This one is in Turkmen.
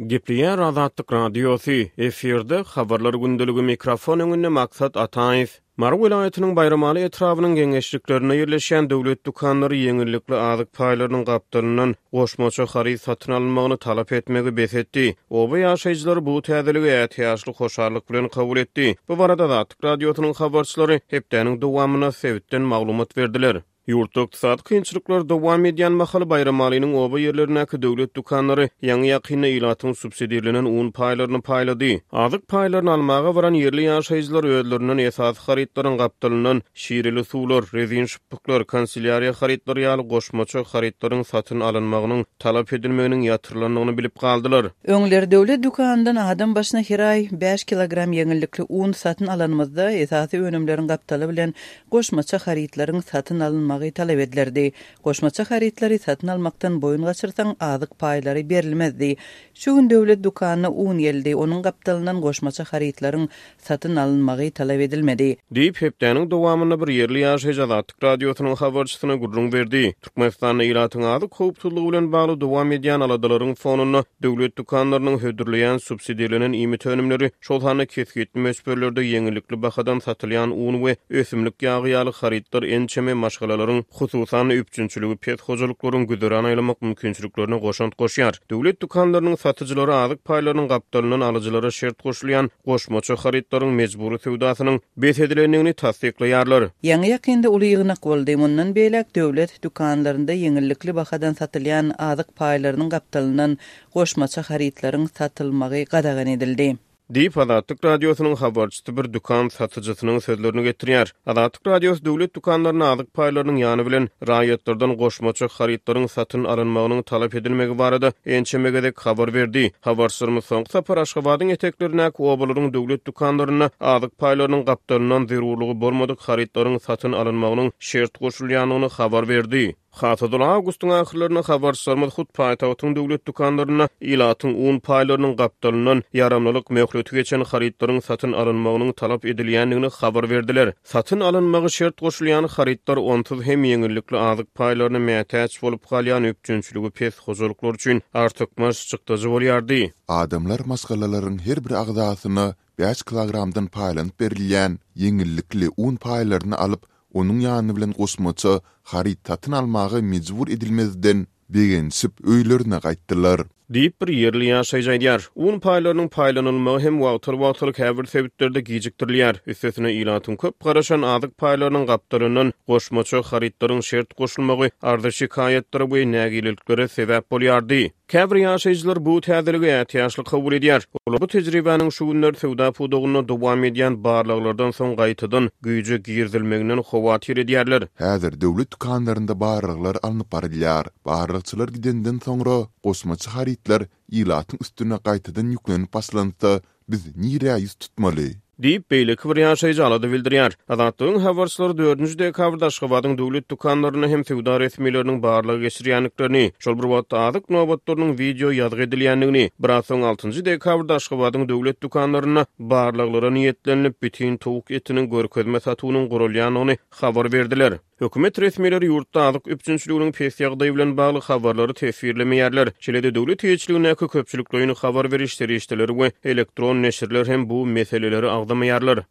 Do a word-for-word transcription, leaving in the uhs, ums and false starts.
Gepleýär Azatlyk Radiosy, efirde Habarlar gündeligi mikrofon öňünde Maksat Ataýew. Mary welaýatynyň Baýramaly etrabynyň geňeşliklerinde ýerleşýän döwlet dükanlary ýeňillikli azyk paýlarynyň gapdalyndan goşmaça haryt satyn alynmagyny talap etmegi bes etdi. Oba ýaşaýjylary bu täzeligi ätiýaçly hoşallyk bilen kabul etdi. Bu barada Azatlyk Radiosynyň habarçylary hepdäniň dowamynda sebitden maglumat berdiler. Ýurtda ykdysady kynçylyklar dowam edýän mahaly Baýramalynyň oba ýerlerindäki döwlet dükanlary ýaňy-ýakynda ilatyň subsidirlenen un paýlaryny paýlady. Azyk paýlaryny almaga baran ýerli ýaşaýjylar özlerinden esasy harytlaryň gapdalyndan şireli suwlar, rezin şypbyklar, kanselýariýa harytlary ýaly goşmaça harytlaryň satyn alynmagynyň talap edilmeginiň ýatyrylandygyny bilip galdylar. Öňler döwlet dükanyndan adam başyna her aý bäş kilogram ýeňillikli un satyn alanymyzda esasy önümleriň gapdaly bilen goşmaça harytlaryň satyn alynmagy talap edilerdi. Goşmaça harytlary satyn almakdan boýun gaçyrsaň azyk paýlary berilmezdi. Şu gün döwlet dükanyna un geldi, onuň gapdalyndan goşmaça harytlaryň satyn alynmagy talap edilmedi. Diýip, hepdäniň dowamynda bir ýerli ýaşaýjy Azatlyk Radiosynyň habarçysyna gürrüň berdi. Türkmenistanda ilatyň azyk howpsuzlygy bilen bagly dowam edýän aladalaryň fonunda döwlet dükanlarynyň hödürleýän subsidirlenen iýmit önümleri, şol sanda kesgitli möçberlerde ýeňillikli bahadan satylýan un we ösümlik ýagy ýaly harytlar ençeme maşgalalaryň, hususan üpjünçiligi pes hojalyklaryň güzeran aýlamak mümkinçiliklerine goşant goşýar. Döwlet dükanlarynyň satyjylary azyk paýlarynyň gapdalyndan alyjylara şert goşulýan goşmaça harytlaryň mejbury söwdasynyň bes edilendigini tassyklaýarlar. Ýaňy ýakynda uly ýygnak boldy. Mundan beýläk döwlet dükanlarynda ýeňillikli bahadan satylýan azyk paýlarynyň gapdalyndan goşmaça harytlaryň satylmagy gadagan edildi. Diýip, Azatlyk Radiosynyň habarçysy bir dükan satyjysynyň sözlerini getirýär. Azatlyk Radiosy döwlet dükanlaryna azyk paýlarynyň ýany bilen raýatlardan goşmaça harytlaryň satyn alynmagynyň talap edilmegi barada ençeme gezek habar berdi. Habarçylarymyz soňky sapar Aşgabadyň eteklerindäki obalaryň döwlet dükanlarynda azyk paýlarynyň gapdalyndan zerurlygy bolmadyk harytlaryň satyn alynmagynyň şert goşulýandygyny habar berdi. Hasadyl awgustyň ahyrlarynda habarçylarymyz hut paýtagtyň döwlet dükanlarynda ilatyň un paýlarynyň gapdalyndan ýaramlylyk möhleti geçen harytlaryň satyn alynmagynyň talap edilýändigini habar berdiler. Satyn alynmagy şert goşulýan harytlar onsuz hem ýeňillikli azyk paýlaryna mätäç bolup galýan üpjünçiligi pes hojalyklar üçin artykmaç çykdajy bolýardy. Adamlar maşgalalaryň her bir agzasyna bäş kilogramdan paýlanyp berilýän ýeňillikli un paýlaryny alyp, onuň ýany bilen goşmaça haryt satyn almaga mejbur edilmezden begenişip öýlerine gaýtdylar. Diýip bir ýerli ýaşaýjy aýdýar. Un paýlarynyň paýlanylmagy hem wagtal-wagtal käbir sebitlerde gijikdirilýär. Üstesine ilatyň köp garaşan azyk paýlarynyň gapdalyndan goşmaça harytlaryň şert goşulmagy arza şikaýatlara we nägileliklere sebäp bolýardy. Käbir ýaşaýjylar bu täzeligi ätiýaçly kabul edýär. Olar bu tejribäniň şu günler söwda pudagynda dowam edýän barlaglardan soň gaýtadan güýje girizilmeginden howatyr edýärler. Häzir döwlet dükanlarynda barlaglar alnyp barylýar. Barlagçylar gidenden soňra goşmaça harytlar ilatyň üstüne gaýtadan ýüklenip başlansa, biz nirä ýüz tutmaly? Diýip, beýleki bir ýaşaýjy alada bildirýär. Azatlygyň habarçylary dördünji dekabrda Aşgabadyň döwlet dükanlarynda hem söwda resmileriniň barlag geçirýändiklerini, şol bir wagtda azyk nobatlarynyň wideo ýazgy edilýändigini, biraz soň altynjy dekabrda Aşgabadyň döwlet dükanlarynda barlaglara niýetlenilip bütin towuk etiniň görkezme satuwynyň guralýandygyny habar berdiler. Hökümet resmileri ýurtda azyk üpjünçiliginiň pes ýagdaýy bilen bagly habarlary teswirlemeýärler. Şeýle-de döwlet eýeçiligindäki köpçülikleýin habar beriş serişdeleri we elektron neşirler hem bu meseleleri agzamaýarlar.